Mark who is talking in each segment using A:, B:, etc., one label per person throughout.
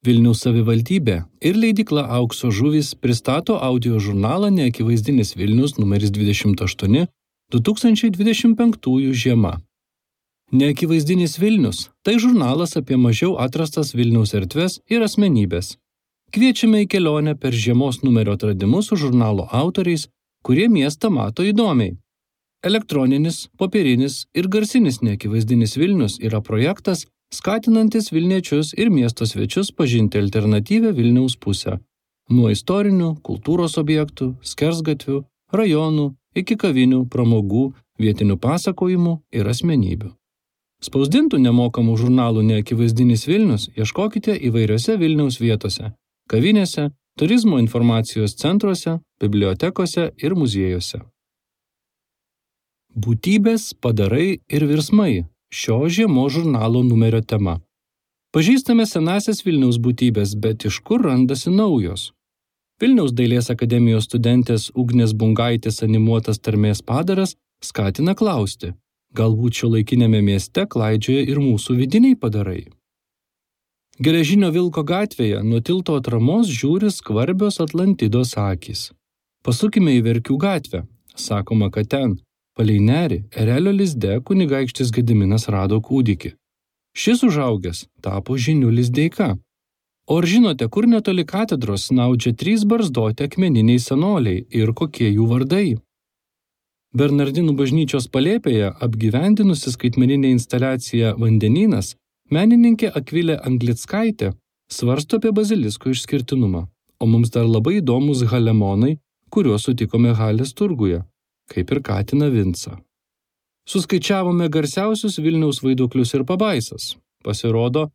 A: Vilniaus savivaldybė ir leidykla Aukso žuvys pristato audio žurnalą Neakivaizdinis Vilnius numeris 28 2025 žiema. Neakivaizdinis Vilnius – tai žurnalas apie mažiau atrastas Vilniaus erdves ir asmenybės. Kviečiame į kelionę per žiemos numerio atradimus su žurnalo autoriais, kurie miestą mato įdomiai. Elektroninis, popierinis ir garsinis Neakivaizdinis Vilnius yra projektas, skatinantis Vilniečius ir miesto svečius pažinti alternatyvią Vilniaus pusę. Nuo istorinių, kultūros objektų, skersgatvių, rajonų, iki kavinių, pramogų, vietinių pasakojimų ir asmenybių. Spausdintų nemokamų žurnalų Neakivaizdinis Vilnius ieškokite įvairiose Vilniaus vietose – kavinėse, turizmo informacijos centruose, bibliotekose ir muziejuose. Būtybės, padarai ir virsmai – šio žiemos žurnalo numerio tema. Pažįstame senasias Vilniaus būtybės, bet iš kur randasi naujos? Vilniaus dailės akademijos studentės Ugnės Bungaitės animuotas tarmės padaras skatina klausti, galbūt šiuolaikiniame mieste klaidžioja ir mūsų vidiniai padarai. Geležinio Vilko gatvėje nuo tilto atramos žiūri skvarbios Atlantidos akys. Pasukime į Verkių gatvę, sakoma, kad ten, palei nerį, erelio lizde kunigaikštis Gediminas rado kūdikį. Šis užaugęs tapo Žinių Lizdeika. O ar žinote, kur netoli katedros snaudžia 3 barzdoti akmeniniai senoliai ir kokie jų vardai? Bernardinų bažnyčios palėpėje apgyvendinusi skaitmeninę instaliaciją Vandenynas, menininkė Akvilė Anglickaitė svarsto apie bazilisko išskirtinumą, o mums dar labai įdomus halemonai, kuriuos sutikome Halės turguje, kaip ir katiną Vincą. Suskaičiavome garsiausius Vilniaus vaiduoklius ir pabaisas. Pasirodo,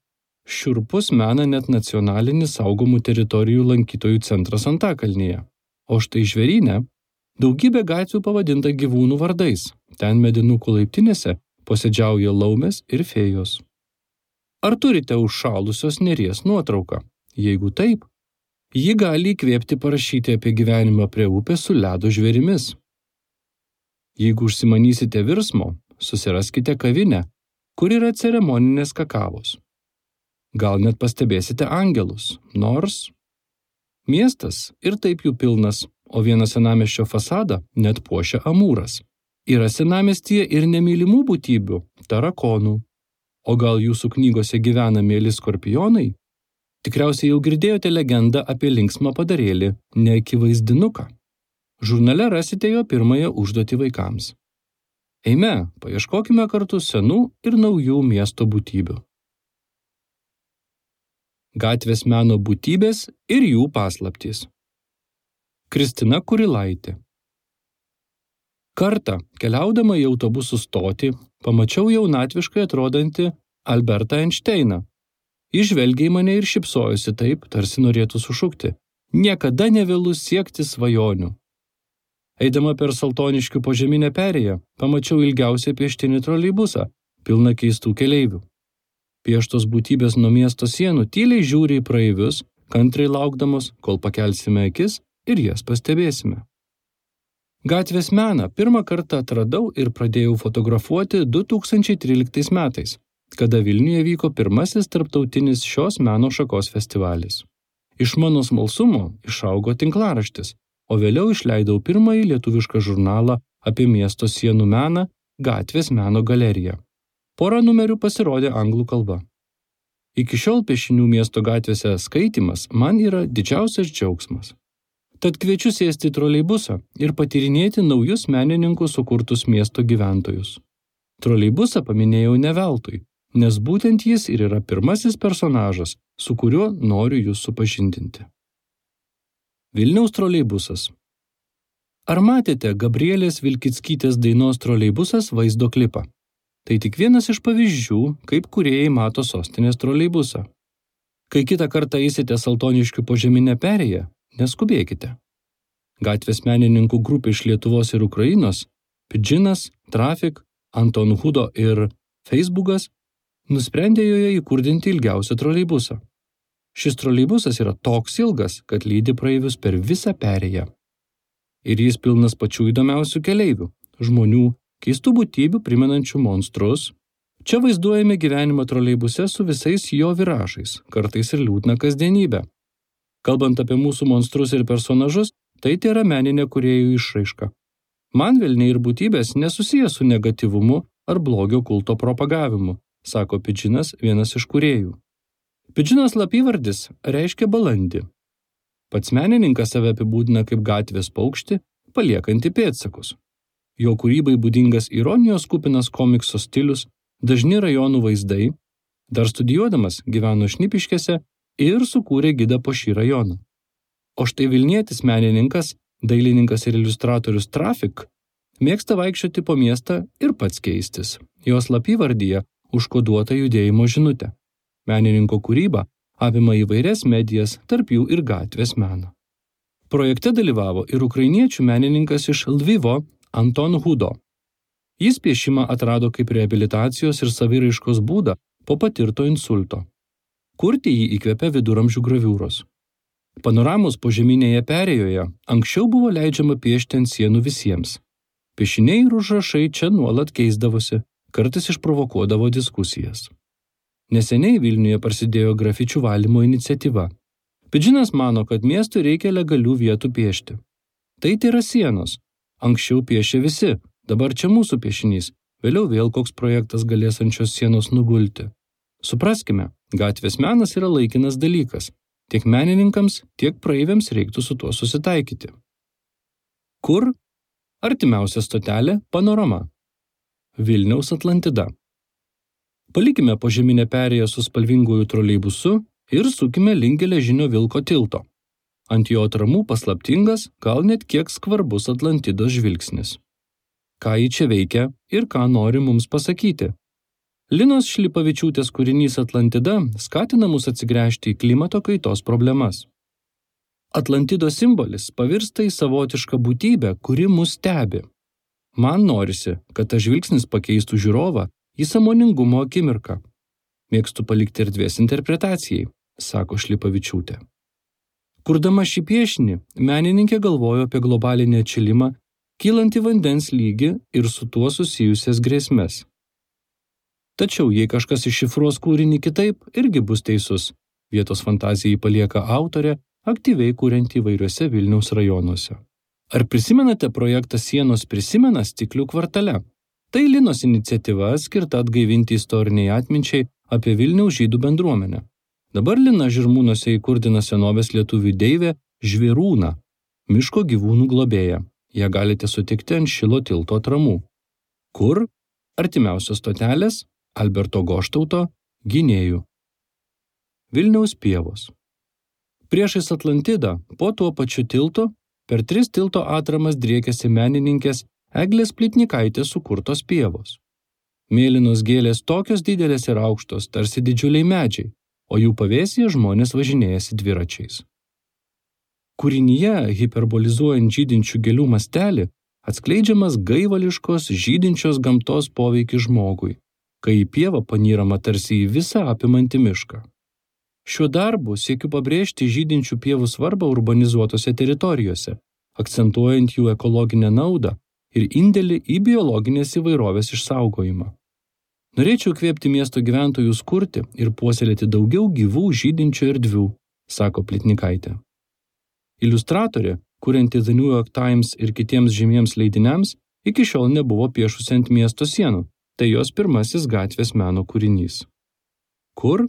A: šiurpus mena net nacionalinis saugomų teritorijų lankytojų centras Antakalnyje. O štai Žvėryne daugybė gatvių pavadinta gyvūnų vardais. Ten medinukų laiptinėse posėdžiauja laumės ir fėjos. Ar turite užšalusios Neries nuotrauką? Jeigu taip, ji gali įkvėpti parašyti apie gyvenimą prie upės su ledo žvėrimis. Jeigu užsimanysite virsmo, susiraskite kavinę, kur yra ceremoninės kakavos. Gal net pastebėsite angelus, nors miestas ir taip jų pilnas, o vieną senamiesčio fasadą net puošia amūras. Yra senamiestyje ir nemylimų būtybių, tarakonų. O gal jūsų knygose gyvena mieli skorpionai? Tikriausiai jau girdėjote legendą apie linksmą padarėlį Neakivaizdinuką. Žurnale rasite jo pirmąją užduotį vaikams. Eime, paieškokime kartu senų ir naujų miesto būtybių. Gatvės meno būtybės ir jų paslaptys. Kristina Kurilaitė. Kartą, keliaudama į autobusų stotį, pamačiau jaunatviškai atrodantį Albertą Einšteiną. Jis žvelgė į mane ir šypsojosi taip, tarsi norėtų sušukti. Niekada nevėlu siekti svajonių. Eidama per Saltoniškių požeminę perėją, pamačiau ilgiausią pieštinį troleibusą, pilną keistų keleivių. Pieštos būtybės nuo miesto sienų tyliai žiūri į praeivius, kantriai laukdamos, kol pakelsime akis ir jas pastebėsime. Gatvės meną pirmą kartą atradau ir pradėjau fotografuoti 2013 metais, kada Vilniuje vyko pirmasis tarptautinis šios meno šakos festivalis. Iš mano smalsumo išaugo tinklaraštis, o vėliau išleidau pirmąjį lietuvišką žurnalą apie miesto sienų meną Gatvės meno galerija. Porą numerių pasirodė anglų kalba. Iki šiol piešinių miesto gatvėse skaitymas man yra didžiausias džiaugsmas. Tad kviečiu sėsti į troleibusą ir patyrinėti naujus menininkų sukurtus miesto gyventojus. Troleibusą paminėjau ne veltui, nes būtent jis ir yra pirmasis personažas, su kuriuo noriu jūs supažindinti. Vilniaus troleibusas. Ar matėte Gabrielės Vilkickytės dainos Troleibusas vaizdo klipą? Tai tik vienas iš pavyzdžių, kaip kūrėjai mato sostinės troleibusą. Kai kitą kartą eisite Saltoniškių požeminę perėją, neskubėkite. Gatvės menininkų grupė iš Lietuvos ir Ukrainos, Pidžinas, Trafik, Anton Hudo ir Facebookas nusprendė joje įkurdinti ilgiausią troleibusą. Šis troleibusas yra toks ilgas, kad lydi praeivius per visą perėją. Ir jis pilnas pačių įdomiausių keleivių, žmonių, keistų būtybių primenančių monstrus, Čia vaizduojame gyvenimą troleibuse su visais jo viražais, kartais ir liūdna kasdienybė. Kalbant apie mūsų monstrus ir personažus, tai yra meninė kūrėjų išraiška. Man velniai ir būtybės nesusiję su negatyvumu ar blogio kulto propagavimu, sako Pidžinas, vienas iš kūrėjų. Pidžino slapyvardis reiškia balandį. Pats menininkas save apibūdina kaip gatvės paukštį, paliekantį pėdsakus. Jo kūrybai būdingas ironijos kupinas komikso stilius, dažni rajonų vaizdai, dar studijuodamas gyveno Šnipiškėse ir sukūrė gidą po šį rajoną. O štai vilnietis menininkas, dailininkas ir iliustratorius Trafik mėgsta vaikščioti po miestą ir pats keistis. Jo slapyvardyje užkoduota judėjimo žinutė. Menininko kūryba apima įvairias medijas, tarp jų ir gatvės meną. Projekte dalyvavo ir ukrainiečių menininkas iš Lvivo Anton Hudo. Jis piešimą atrado kaip reabilitacijos ir saviraiškos būdą po patirto insulto. Kurti jį įkvėpė viduramžių graviūros. Panoramos požeminėje perėjoje anksčiau buvo leidžiama piešti ant sienų visiems. Piešiniai ir užrašai čia nuolat keisdavosi, kartais išprovokuodavo diskusijas. Neseniai Vilniuje prasidėjo grafičių valymo iniciatyva. Pidžinas mano, kad miestui reikia legalių vietų piešti. Tai yra sienos. Anksčiau piešė visi, dabar čia mūsų piešinys, vėliau vėl koks projektas galės ant šios sienos nugulti. Supraskime, gatvės menas yra laikinas dalykas. Tiek menininkams, tiek praeiviams reiktų su tuo susitaikyti. Kur? Artimiausia stotelė – Panorama. Vilniaus Atlantida. Palikime požeminę perėją su spalvinguoju troleibusu ir sukime link geležinio vilko tilto. Ant jo atramų paslaptingas, gal net kiek skvarbus Atlantidos žvilgsnis. Ką ji čia veikia ir ką nori mums pasakyti? Linos Šlipavičiūtės kūrinys Atlantida skatina mus atsigręžti į klimato kaitos problemas. Atlantidos simbolis pavirsta į savotišką būtybę, kuri mus stebi. Man norisi, kad tas žvilgsnis pakeistų žiūrovą į sąmoningumo akimirką. Mėgstu palikti erdvės interpretacijai, sako Šlipavičiūtė. Kurdama šį piešinį, menininkė galvojo apie globalinį atšilimą, kylantį vandens lygį ir su tuo susijusias grėsmes. Tačiau, jei kažkas iššifruos kūrinį kitaip, irgi bus teisus. Vietos fantazijai palieka autorė, aktyviai kurianti įvairiuose Vilniaus rajonuose. Ar prisimenate projektą Sienos prisimena Stiklių kvartale? Tai Linos iniciatyva skirta atgaivinti istoriniai atminčiai apie Vilniaus žydų bendruomenę. Dabar Lina Žirmūnuose įkurdina senovės lietuvių deivę Žvėrūną, miško gyvūnų globėją. Ją galite sutikti ant Šilo tilto atramų. Kur? Artimiausios stotelės – Alberto Goštauto, Gynėjų. Vilniaus pievos. Priešais Atlantidą, po tuo pačiu tiltu, per 3 tilto atramas driekiasi menininkės Eglės Plitnikaitės sukurtos pievos. Mėlynos gėlės tokios didelės ir aukštos, tarsi didžiuliai medžiai, o jų pavėsyje žmonės važinėjasi dviračiais. Kūrinyje, hiperbolizuojant žydinčių gėlių mastelį, atskleidžiamas gaivališkos žydinčios gamtos poveikis žmogui, kai į pievą panyrama tarsi į visą apimantį mišką. Šiuo darbu siekiu pabrėžti žydinčių pievų svarbą urbanizuotose teritorijose, akcentuojant jų ekologinę naudą ir indėlį į biologinės įvairovės išsaugojimą. Norėčiau kvėpti miesto gyventojus kurti ir puoselėti daugiau gyvų žydinčių erdvių, sako Plitnikaitė. Iliustratorė, kurianti The New York Times ir kitiems žymiems leidiniams, iki šiol nebuvo piešusi ant miesto sienų, tai jos pirmasis gatvės meno kūrinys. Kur?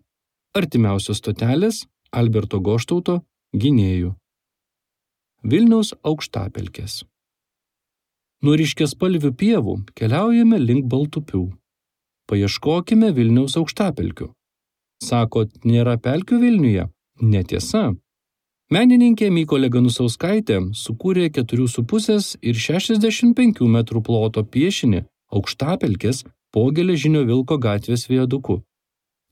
A: Artimiausios stotelės – Alberto Goštauto, Gynėjų. Vilniaus aukštapelkės. Nuo ryškiaspalvių pievų keliaujame link Baltupių. Paieškokime Vilniaus aukštapelkių. Sakot, nėra pelkių Vilniuje? Netiesa. Menininkė Mykolė Ganusauskaitė sukūrė 4,5 ir 65 metrų ploto piešinį aukštapelkės po geležinio vilko gatvės viaduku.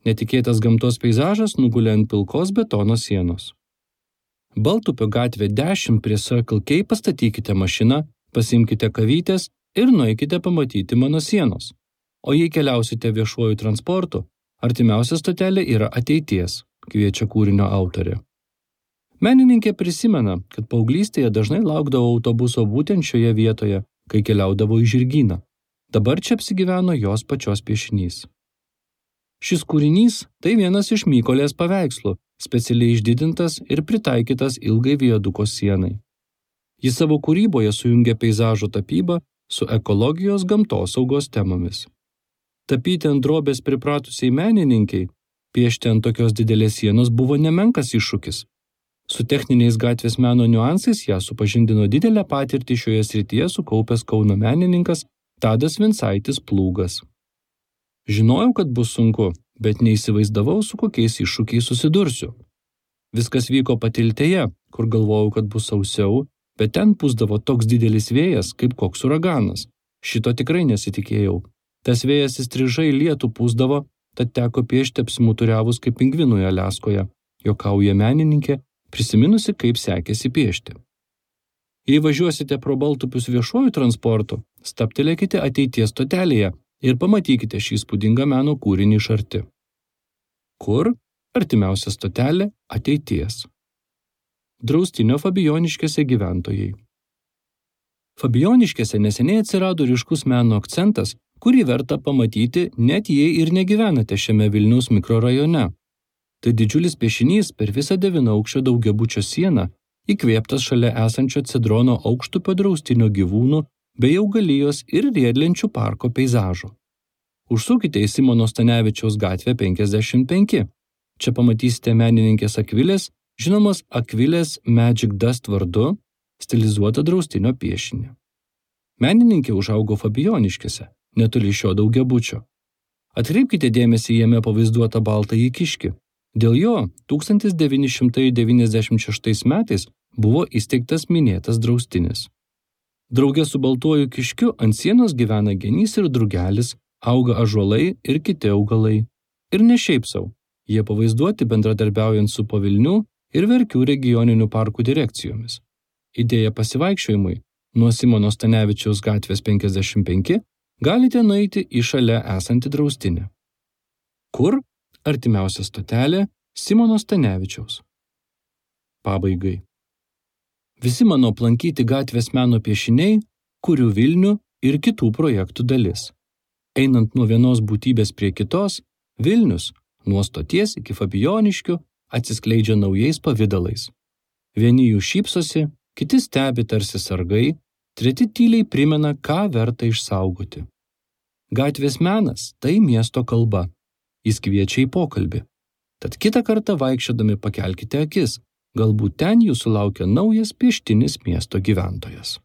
A: Netikėtas gamtos peizažas nugulė ant pilkos betono sienos. Baltupio gatvė 10 prie Circle K pastatykite mašiną, pasimkite kavytės ir nueikite pamatyti mano sienos. O jei keliausite viešuoju transportu, artimiausia stotelė yra Ateities, kviečia kūrinio autorė. Menininkė prisimena, kad paauglystėje dažnai laukdavo autobuso būtent šioje vietoje, kai keliaudavo į Žirgyną. Dabar čia apsigyveno jos pačios piešinys. Šis kūrinys tai vienas iš Mykolės paveikslų, specialiai išdidintas ir pritaikytas ilgai viaduko sienai. Jis savo kūryboje sujungia peizažo tapybą su ekologijos gamtosaugos temomis. Tapyti ant drobės pripratusiai menininkai, piešti ant tokios didelės sienos buvo nemenkas iššūkis. Su techniniais gatvės meno niuansais ją supažindino didelę patirtį šioje srityje sukaupęs Kauno menininkas Tadas Vincaitis Plūgas. Žinojau, kad bus sunku, bet neįsivaizdavau, su kokiais iššūkiais susidursiu. Viskas vyko Patiltėje, kur galvojau, kad bus sausiau, bet ten pūsdavo toks didelis vėjas, kaip koks uraganas. Šito tikrai nesitikėjau. Tas vėjas įstrižai lietų pūsdavo, tad teko piešti apsimuturiavus kaip pingvinui Aliaskoje, juokauja menininkė, prisiminusi, kaip sekėsi piešti. Jei važiuosite pro Baltupius viešuoju transportu, stabtelėkite ateities stotelėje ir pamatykite šį įspūdingą meno kūrinį iš arti. Kur? Artimiausia stotelė – ateities. Draustinio Fabijoniškėse gyventojai. Fabijoniškėse neseniai atsirado ryškus meno akcentas, kurį verta pamatyti, net jei ir negyvenate šiame Vilniaus mikrorajone. Tai didžiulis piešinys per visą 9-aukščio daugiabučio sieną, įkvėptas šalia esančio Cedrono aukštupio draustinio gyvūnų bei augalijos ir riedlenčių parko peizažų. Užsukite į Simono Stanevičiaus gatvę 55. Čia pamatysite menininkės Akvilės, žinomos Akvilės Magic Dust vardu, stilizuotą draustinio piešinį. Menininkė užaugo Fabijoniškėse, netoli šio daugiabučio. Atkreipkite dėmesį jame pavaizduotą baltąjį kiškį. Dėl jo 1996 metais buvo įsteigtas minėtas draustinis. Drauge su baltuoju kiškiu ant sienos gyvena genys ir drugelis, auga ąžuolai ir kiti augalai. Ir ne šiaip sau, jie pavaizduoti bendradarbiaujant su Pavilnių ir Verkių regioninių parkų direkcijomis. Idėja pasivaikščiojimui nuo Simono Stanevičiaus gatvės 55 galite nueiti į šalia esantį draustinį. Kur? Artimiausia stotelė – Simono Stanevičiaus. Pabaigai. Visi mano aplankyti gatvės meno piešiniai, kurių Vilnių ir kitų projektų dalis. Einant nuo vienos būtybės prie kitos, Vilnius, nuo stoties iki Fabijoniškių, atsiskleidžia naujais pavidalais. Vieni jų šypsosi, kiti stebi tarsi sargai, treti tyliai primena, ką verta išsaugoti. Gatvės menas – tai miesto kalba. Jis kviečia į pokalbį. Tad kitą kartą vaikščiodami pakelkite akis, galbūt ten jūsų laukia naujas pieštinis miesto gyventojas.